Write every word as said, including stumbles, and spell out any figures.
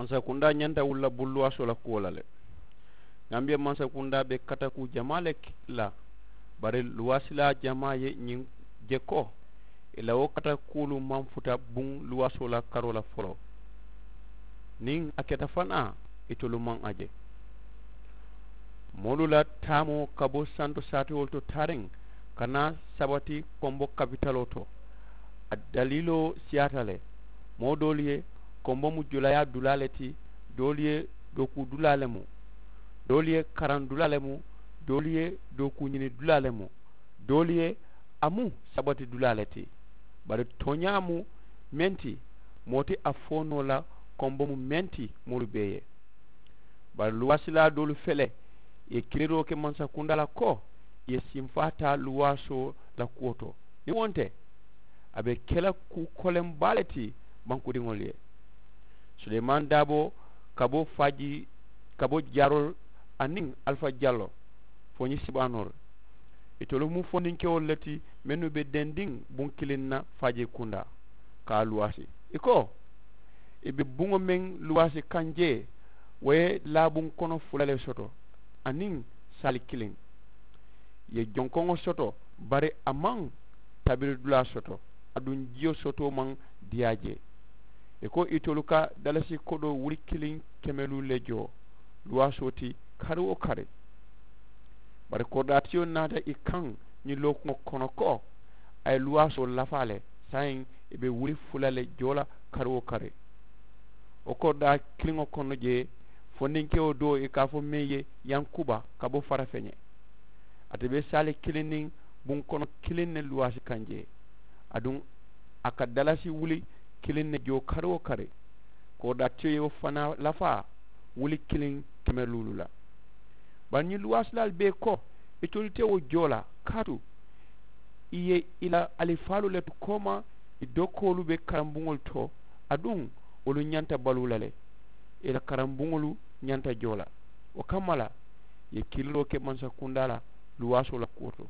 Mansakundaa ñanta wulula buluwaasoo la kuwo la le. Gambiya mansakundaa be katakuu jamaa le la. Bari luwaasilaa jamaa ye ñiŋ je ko ì la wo katakuulu maŋ futa buŋ luwaasoo la karoo la foloo. Niŋ a keta fanaa itolu maŋ a je. Moolu la taamoo ka bo santo saatewolu to taariŋ ka naa sabati kombo kapitaloo to. A daliiloo siyaata le. Moo doolu ye kombo mu julayaa dulaa le ti. Doolu ye dookuu dulaa le mu. Doolu ye karaŋ dulaa le mu. Doolu ye dookuu ñini dulaa le mu. Doolu ye a mu sabati dulaa le ti. Bari tooñaa mu meŋ ti moo ti a fo noo la kombo mu meŋ ti moolu bee ye. Bari luwaasilaa doolu fele ì ye kiliroo ke mansakundaa la ko ì ye sinfaa taa luwaasoo la kuwo to. Niŋ wo nte a be ke la kuu koleŋ baa le ti bankudiŋolu ye. Suleemaani daaboo ka bo faaji ka bo jaaroo aniŋ alifa jalloo fo ñiŋ sibaanoolu. Itolu mu fondinkewolu le ti mennu be dendiŋ buŋ kiliŋ na faaji kundaa ka a luwaasi. Ì ko ì be buŋo meŋ luwaasi kaŋ jee wo ye laabuŋ kono fula le soto aniŋ saali kiliŋ. Ì ye jonkoŋo soto bari a maŋ tabiri dulaa soto. Aduŋ jiyo sotoo maŋ diyaa jee. Ì ko itolu ka dalasi kodoo wuli kiliŋ keme luu le joo luwaasoo ti kari wo kari. Bari koridaatiyo naata ì kaŋ ñiŋ lookuŋo kono ko a ye luwaasoo lafaa le saayiŋ ì be wuli fula le joo la kari wo kari. Wo koridaa kiliŋo kono jee fondinkewo doo ì ka a fo meŋ ye yankuba ka bo farafeñe. Ate be saali kiliŋ niŋ buŋ kono kiliŋ ne luwaasi kaŋ jee. Aduŋ a ka dalasi wuli kiliŋ ne joo kari wo kari. Koridaatiyo ye wo fanaa lafaa wuli kiliŋ keme luulu la. Bari ñiŋ luwaasilaalu bee ko itolu te wo joo la kaatu ì ye ì la alifaalu le tu kooma ì dokoolu be karambuŋolu to. Aduŋ wolu ñanta baluu la le ì la karambuŋolu ñanta joo la. Wo kamma la ì ye kiliroo ke mansakundaa la luwaasoo la kuwo to.